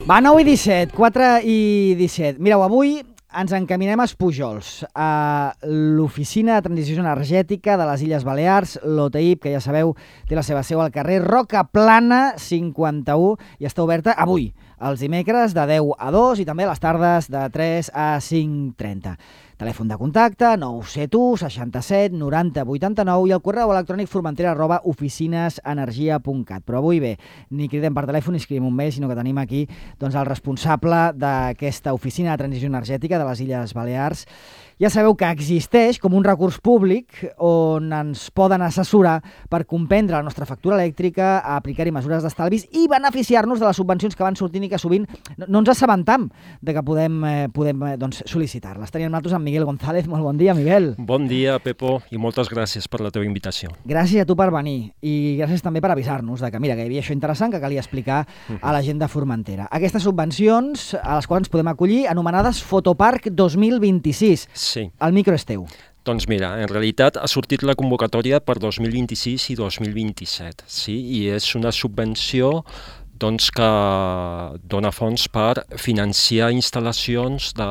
Va, 9:17, 4:17. Mireu, avui ens encaminem a Pujols, a l'Oficina de Transició Energètica de les Illes Balears, l'OTIP, que ja sabeu, té la seva seu al carrer Roca Plana 51 i està oberta avui, els dimecres de 10 a 2 i també a les tardes de 3 a 5:30. Telèfon de contacte 971 67 90 89 i el correu electrònic formentera@oficinesenergia.cat. Però avui bé, ni cridem per telèfon ni escrivim un mail, sinó que tenim aquí el responsable d'aquesta Oficina de Transició Energètica de les Illes Balears. Ja sabeu que existeix com un recurs públic on ens poden assessorar per comprendre la nostra factura elèctrica, a aplicar-hi mesures d'estalvis i beneficiar-nos de les subvencions que van sortint i que sovint no ens assabentam de que podem sol·licitar-les. Tenim nosaltres amb Miguel González. Molt bon dia, Miguel. Bon dia, Pepo, i moltes gràcies per la teva invitació. Gràcies a tu per venir i gràcies també per avisar-nos de que, mira, que hi havia això interessant que calia explicar a la gent de Formentera. Aquestes subvencions a les quals ens podem acollir, anomenades Fotopark 2026. Sí. El micro és teu. Doncs mira, en realitat ha sortit la convocatòria per 2026 i 2027, sí? I és una subvenció que dona fons per financiar instal·lacions de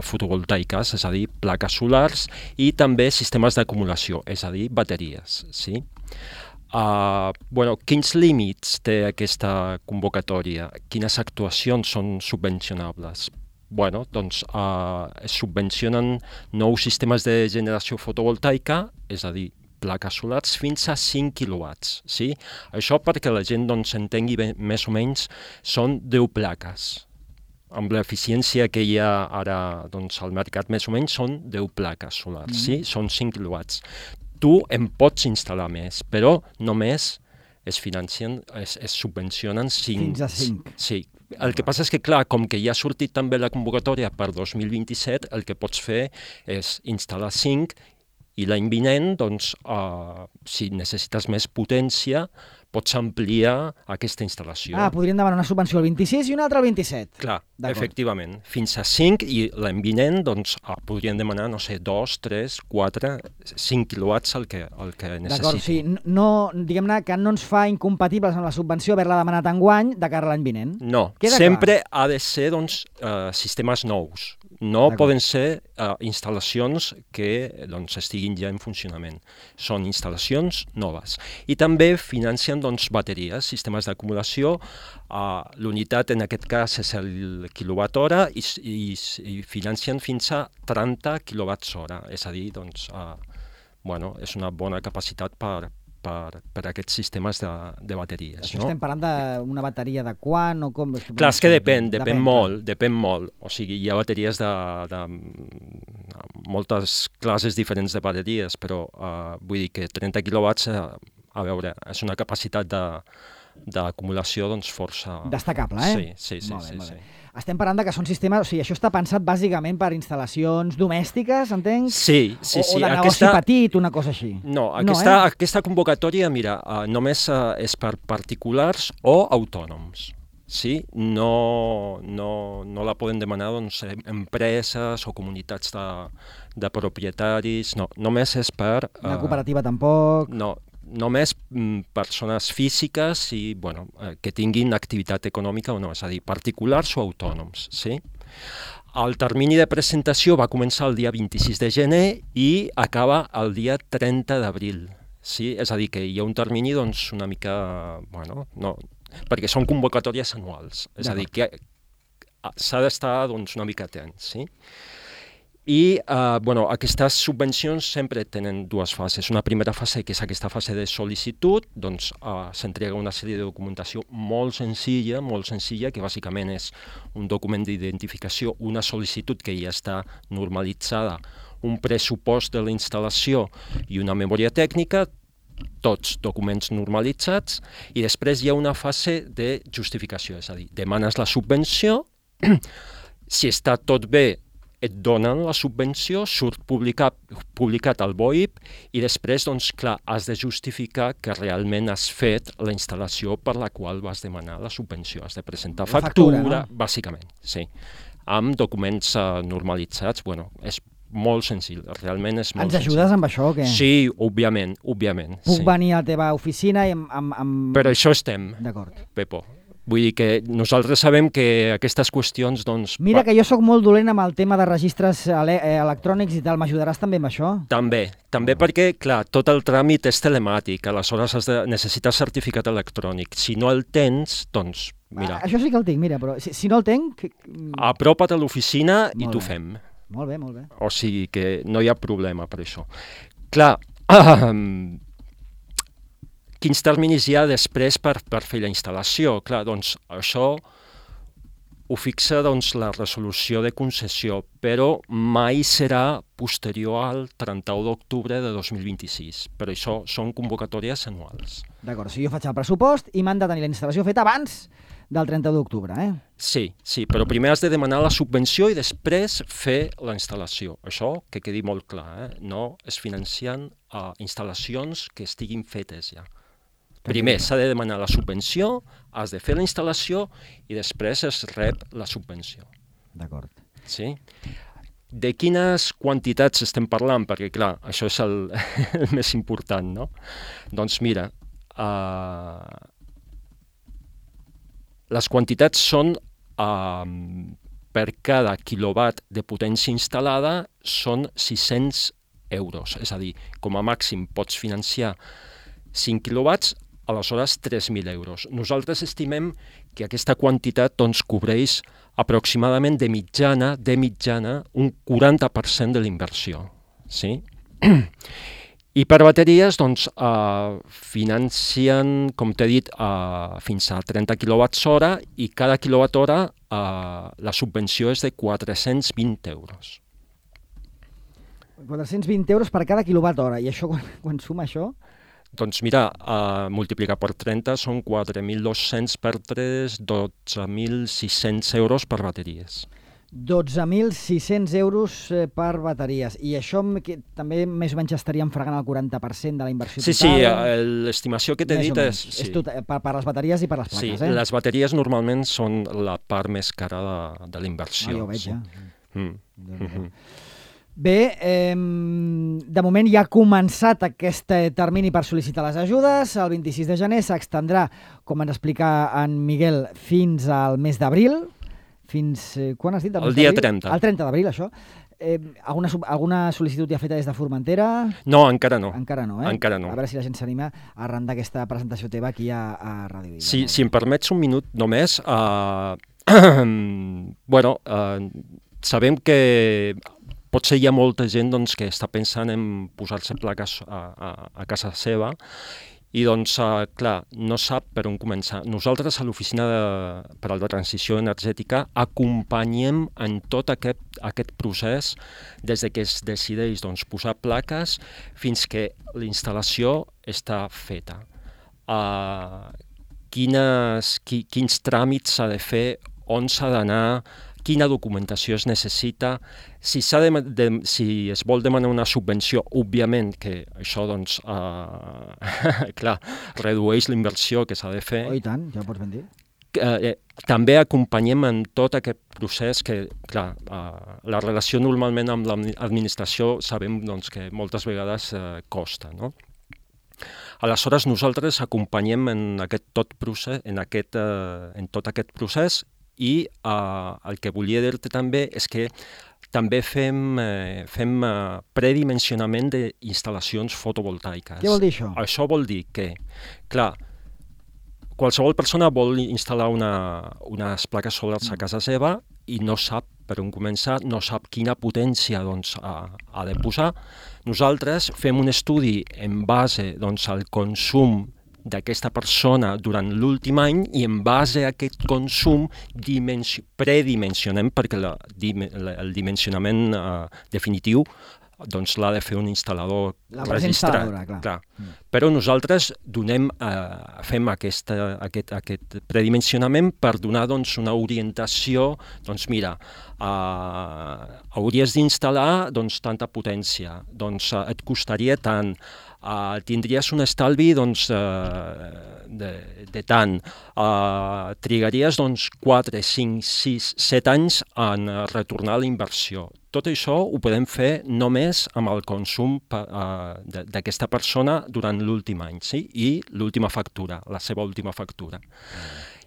fotovoltaiques, és a dir, plaques solars, i també sistemes d'acumulació, és a dir, bateries, sí? Quins límits té aquesta convocatòria? Quines actuacions són subvencionables? Es subvencionen nous sistemes de generació fotovoltaica, és a dir, plaques solars, fins a 5 quilowatts. Sí? Això perquè la gent entengui més o menys, són 10 plaques. Amb l'eficiència que hi ha ara al mercat, més o menys són 10 plaques solars, sí? Són 5 quilowatts. Tu en pots instal·lar més, però només es subvencionen 5. Fins a 5. Sí. El que passa és que, clar, com que ja ha sortit també la convocatòria per 2027, el que pots fer és instal·lar 5 i l'any vinent, si necessites més potència, pots ampliar aquesta instal·lació. Podríem demanar una subvenció al 26 i una altra al 27. Clar, efectivament. Fins a 5 i l'any vinent podríem demanar, 2, 3, 4, 5 quilowatts el que necessiti. D'acord, sí. Diguem-ne que no ens fa incompatibles amb la subvenció haver-la demanat enguany de cara a l'any vinent. No, sempre ha de ser sistemes nous. No poden ser instal·lacions que estiguin ja en funcionament. Són instal·lacions noves. I també financen bateries, sistemes d'acumulació. L'unitat en aquest cas és el quilowatt-hora i financen fins a 30 quilowatts-hora. És a dir, és una bona capacitat per aquests sistemes de bateries. Això estem parlant d'una bateria de quant o com? Clar, és que depèn molt. O sigui, hi ha bateries de moltes classes diferents de bateries, però vull dir que 30 quilowatts, a veure, és una capacitat d'acumulació força... Destacable, eh? Sí. Molt bé. Estem parlant que són sistemes... O sigui, això està pensat bàsicament per instal·lacions domèstiques, entenc? Sí. O de negoci petit, una cosa així? No, aquesta convocatòria, mira, només és per particulars o autònoms. Sí? No la poden demanar empreses o comunitats de propietaris. No, només és per... Una cooperativa tampoc? No, només persones físiques i que tinguin activitat econòmica o no, és a dir, particulars o autònoms. Sí? El termini de presentació va començar el dia 26 de gener i acaba el dia 30 d'abril. Sí? És a dir, que hi ha un termini una mica... perquè són convocatòries anuals. És a dir, que s'ha d'estar una mica atent. Sí? I aquestes subvencions sempre tenen dues fases. Una primera fase, que és aquesta fase de sol·licitud, s'entrega una sèrie de documentació molt senzilla, que bàsicament és un document d'identificació, una sol·licitud que ja està normalitzada, un pressupost de la instal·lació i una memòria tècnica, tots documents normalitzats, i després hi ha una fase de justificació, és a dir, demanes la subvenció, si està tot bé, et donen la subvenció, surt publicat al BOIP i després, has de justificar que realment has fet la instal·lació per la qual vas demanar la subvenció. Has de presentar factura, bàsicament, sí. Amb documents normalitzats, és molt senzill, realment és molt senzill. Ens ajudes amb això o què? Sí, òbviament. Puc venir a la teva oficina i amb... Per això estem, D'acord. Pepo. Vull dir que nosaltres sabem que aquestes qüestions, doncs... Mira que jo sóc molt dolent amb el tema de registres electrònics i tal, m'ajudaràs també amb això? També perquè, clar, tot el tràmit és telemàtic, aleshores necessites certificat electrònic. Si no el tens, doncs, mira... Això sí que el tinc, mira, però si no el tinc... Apropa't a l'oficina i t'ho fem. Molt bé, molt bé. O sigui que no hi ha problema per això. Clar, quins terminis hi ha després per fer la instal·lació? Clar, doncs això ho fixa doncs, la resolució de concessió, però mai serà posterior al 31 d'octubre de 2026. Per això són convocatòries anuals. D'acord, si jo faig el pressupost i m'han de tenir la instal·lació feta abans del 30 d'octubre, eh? Sí, però primer has de demanar la subvenció i després fer la instal·lació. Això que quedi molt clar, no es financien instal·lacions que estiguin fetes ja. Primer s'ha de demanar la subvenció, has de fer la instal·lació i després es rep la subvenció. D'acord. Sí? De quines quantitats estem parlant? Perquè, clar, això és el més important, no? Doncs mira, les quantitats són per cada quilowatt de potència instal·lada són 600 euros. És a dir, com a màxim pots financiar 5 quilowatts, aleshores 3.000 euros. Nosaltres estimem que aquesta quantitat doncs, cobreix aproximadament de mitjana un 40% de l'inversió. Sí? I per bateries doncs, financien, com t'he dit, fins a 30 kWh i cada kWh la subvenció és de 420 euros. 420 euros per cada quilowatt-hora. I això, quan suma això? Doncs mira, multiplicar per 30 són 4.200 per 3, 12.600 euros per bateries. 12.600 euros per bateries. I això també més o menys estaríem fregant el 40% de la inversió total? Sí, l'estimació que t'he dit és... És per les bateries i per les plaques, Sí, les bateries normalment són la part més cara de la inversió. Ja ho veig, ja. Bé, de moment ja ha començat aquest termini per sol·licitar les ajudes. El 26 de gener s'extendrà, com ens explica en Miguel, fins al mes d'abril. Fins... quan has dit? El dia 30. El 30 d'abril, això. Alguna sol·licitud ja feta des de Formentera? No, encara no. Encara no, eh? Encara no. A veure si la gent s'anima a arrendar aquesta presentació teva aquí a Ràdio Vila. Si em permets un minut només, sabem que potser hi ha molta gent doncs, que està pensant en posar-se plaques a casa seva i, doncs, clar, no sap per on començar. Nosaltres a l'Oficina per a la Transició Energètica acompanyem en tot aquest procés des de que es decideix doncs, posar plaques fins que la instal·lació està feta. Quins tràmits s'ha de fer, on s'ha d'anar, quina documentació es necessita, si es vol demanar una subvenció, òbviament que això doncs, clar, redueix la inversió que s'ha de fer. Oh, i tant, ja ho pots ben dir. També acompanyem en tot aquest procés que, clar, la relació normalment amb l'administració sabem doncs, que moltes vegades costa, no? Aleshores, nosaltres acompanyem en tot aquest procés i el que volia dir-te també és que també fem predimensionament d'instal·lacions fotovoltaiques. Què vol dir això? Això vol dir que, clar, qualsevol persona vol instal·lar unes plaques solars a casa seva i no sap per on començar, no sap quina potència doncs, ha de posar. Nosaltres fem un estudi en base doncs, al consum d'aquesta persona durant l'últim any i en base a aquest consum predimensionem, perquè el dimensionament definitiu doncs l'ha de fer un instal·lador registrat. Clar. Però nosaltres fem aquest predimensionament per donar doncs, una orientació, doncs mira, hauries d'instal·lar doncs, tanta potència, doncs et costaria tant, tindries un estalvi doncs, de tant, trigaries doncs, 4, 5, 6, 7 anys en retornar la inversió. Tot això ho podem fer només amb el consum d'aquesta persona durant l'últim any, sí? I l'última factura, la seva última factura.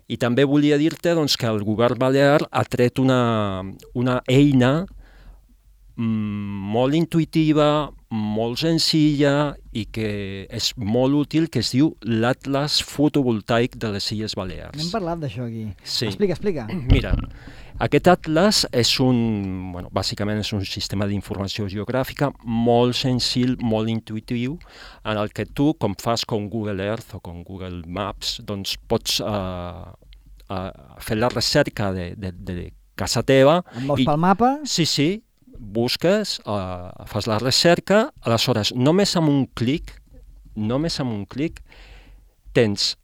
I també volia dir-te doncs, que el govern balear ha tret una eina molt intuïtiva, molt senzilla i que és molt útil, que es diu l'Atlas fotovoltaic de les Illes Balears. N'hem parlat d'això aquí. Sí. Explica. Mira, aquest atlas bàsicament és un sistema d'informació geogràfica molt senzill, molt intuïtiu, en el que tu, com fas com Google Earth o com Google Maps, doncs pots fer la recerca de casa teva. Em veus pel mapa? Sí, busques, fas la recerca, aleshores només amb un clic tens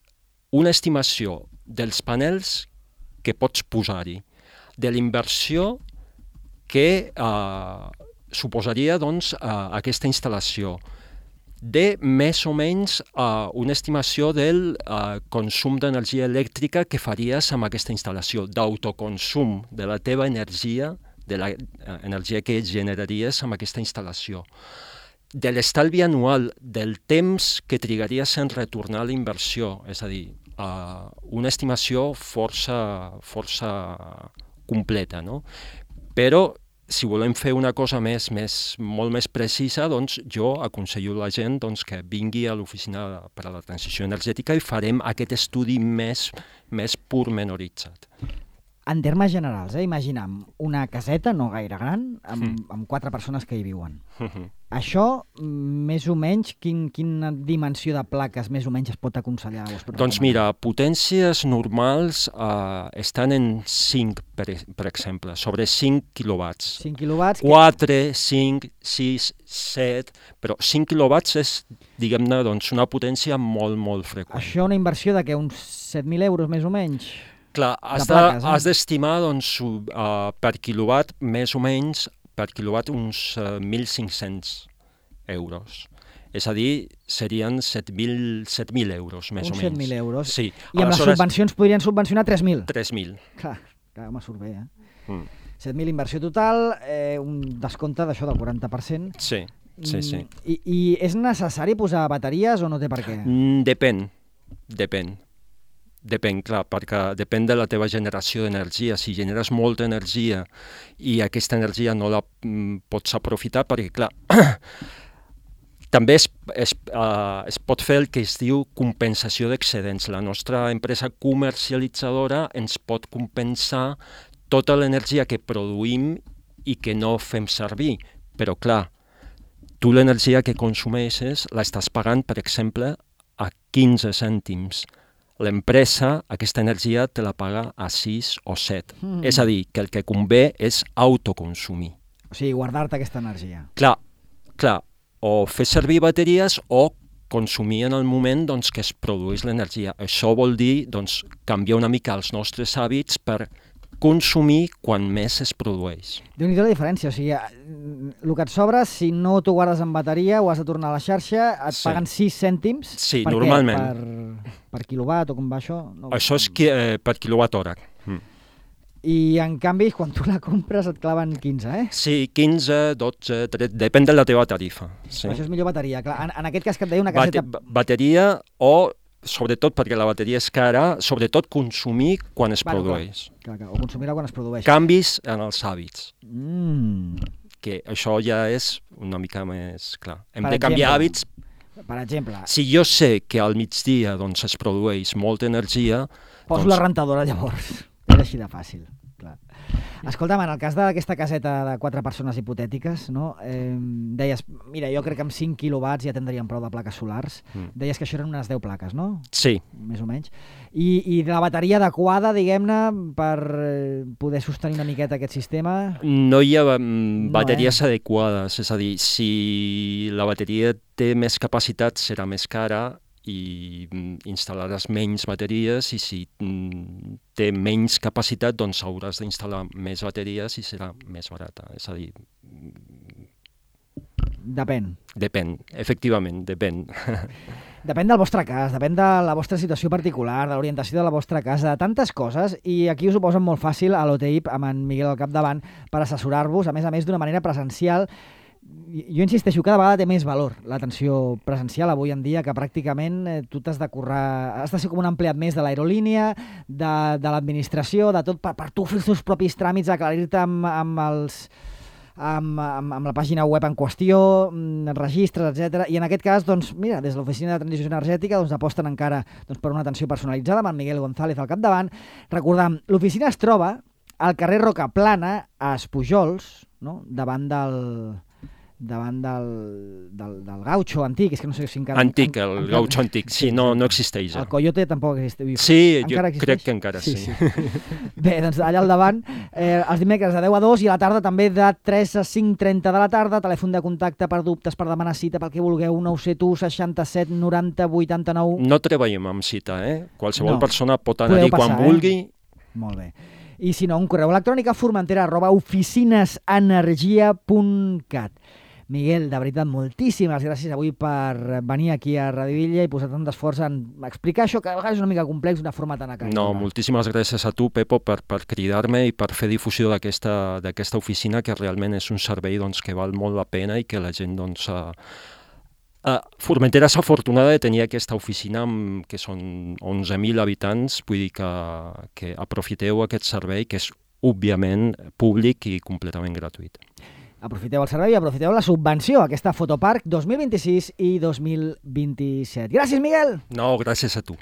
una estimació dels panels que pots posar-hi, de la inversió que suposaria doncs, aquesta instal·lació, de més o menys una estimació del consum d'energia elèctrica que faries amb aquesta instal·lació, d'autoconsum de la teva energia, de l'energia que generaries amb aquesta instal·lació, de l'estalvi anual, del temps que trigaries en retornar la inversió, és a dir, una estimació força completa, no? Però si volem fer una cosa molt més precisa, doncs jo aconsello a la gent doncs, que vingui a l'Oficina per a la Transició Energètica i farem aquest estudi més pormenoritzat. En termes generals, imaginam una caseta no gaire gran amb 4 persones que hi viuen. Això, més o menys, quina dimensió de plaques més o menys es pot aconsellar? Doncs mira, potències normals estan en 5, per exemple, sobre 5 quilowatts. 5 quilowatts? 4, 5, 6, 7, però 5 quilowatts és, diguem-ne, doncs, una potència molt, molt freqüent. Això una inversió de què, uns 7.000 euros més o menys? Clar, has d'estimar doncs, per quilowatt, més o menys, per quilowatt uns 1.500 euros. És a dir, serien 7.000 euros, més o menys. Uns 7.000 euros. Sí. I amb les subvencions podrien subvencionar 3.000? 3.000. Clar, me surt bé, 7.000 inversió total, un descompte d'això del 40%. Sí. I és necessari posar bateries o no té per què? Depèn, clar, perquè depèn de la teva generació d'energia. Si generes molta energia i aquesta energia no la pots aprofitar, perquè, clar, també es pot fer el que es diu compensació d'excedents. La nostra empresa comercialitzadora ens pot compensar tota l'energia que produïm i que no fem servir. Però, clar, tu l'energia que consumeixes l'estàs pagant, per exemple, a 15 cèntims. L'empresa, aquesta energia, te la paga a 6 o 7. És a dir, que el que convé és autoconsumir. O sigui, guardar-te aquesta energia. Clar, o fer servir bateries o consumir en el moment doncs, que es produeix l'energia. Això vol dir doncs, canviar una mica els nostres hàbits per consumir quan més es produeix. Déu-n'hi-do la diferència, o sigui, el que et sobra, si no t'ho guardes en bateria o has de tornar a la xarxa, et paguen 6 cèntims. Sí, normalment. Per quilowatt o com va això? No. Això és per quilowatt hora. I en canvi, quan tu la compres et claven 15, Sí, 15, 12, 13, depèn de la teva tarifa. Sí. Això és millor bateria. Clar, en aquest cas que et deia una caseta... Bateria o... sobretot perquè la bateria és cara, sobretot consumir quan es produeix. Clar, o consumir-la quan es produeix. Canvis en els hàbits. Que això ja és una mica més clar. Hem de canviar hàbits. Per exemple... Si jo sé que al migdia doncs, es produeix molta energia... Poso la rentadora llavors. És així de fàcil. Clar. Escolta'm, en el cas d'aquesta caseta de 4 persones hipotètiques, no? Deies, mira, jo crec que amb 5 quilowatts ja tindríem prou de plaques solars. Deies que això eren unes 10 plaques, no? Sí. Més o menys. I de la bateria adequada, diguem-ne, per poder sostenir una miqueta aquest sistema? No hi ha bateries adequades. És a dir, si la bateria té més capacitat, serà més cara, i instal·laràs menys bateries, i si té menys capacitat, doncs hauràs d'instal·lar més bateries i serà més barata. És a dir... Depèn, efectivament, depèn. Depèn del vostre cas, depèn de la vostra situació particular, de l'orientació de la vostra casa, de tantes coses, i aquí us ho posen molt fàcil a l'OTIP, amb en Miguel al capdavant, per assessorar-vos, a més d'una manera presencial. Jo insisteixo, cada vegada té més valor l'atenció presencial avui en dia, que pràcticament tu t'has de currar, has de ser com un empleat més de l'aerolínia, de l'administració, de tot, per tu fer els teus propis tràmits, aclarir-te amb la pàgina web en qüestió, registres, etc. I en aquest cas, doncs, mira, des de l'Oficina de Transició Energètica doncs, aposten encara per una atenció personalitzada amb el Miguel González al capdavant. Recordem, l'oficina es troba al carrer Rocaplana, a Espujols, no? davant del gaucho antic, és que no sé si encara... Antic, el gaucho antic, sí, no existeix. El coyote tampoc existeix. Sí, jo crec que encara sí. Bé, doncs allà al davant, els dimecres de 10 a 2 i a la tarda també de 3 a 5:30 de la tarda, telèfon de contacte per dubtes, per demanar cita, pel que vulgueu, 971 67 90 89... No treballem amb cita, Qualsevol persona pot anar-hi quan vulgui. Molt bé. I si no, un correu electrònic a formentera@oficinesenergia.cat. Miguel, de veritat, moltíssimes gràcies avui per venir aquí a Radio Illa i posar tant d'esforç en explicar això, que a vegades és una mica complex d'una forma tan acabada. No, moltíssimes gràcies a tu, Pepo, per cridar-me i per fer difusió d'aquesta oficina, que realment és un servei que val molt la pena i que la gent, Formentera és afortunada de tenir aquesta oficina, que són 11.000 habitants, vull dir que aprofiteu aquest servei, que és, òbviament, públic i completament gratuït. Aprofiteu el servei i aprofiteu la subvenció, aquesta Fotopark 2026 i 2027. Gràcies, Miguel! No, gràcies a tu.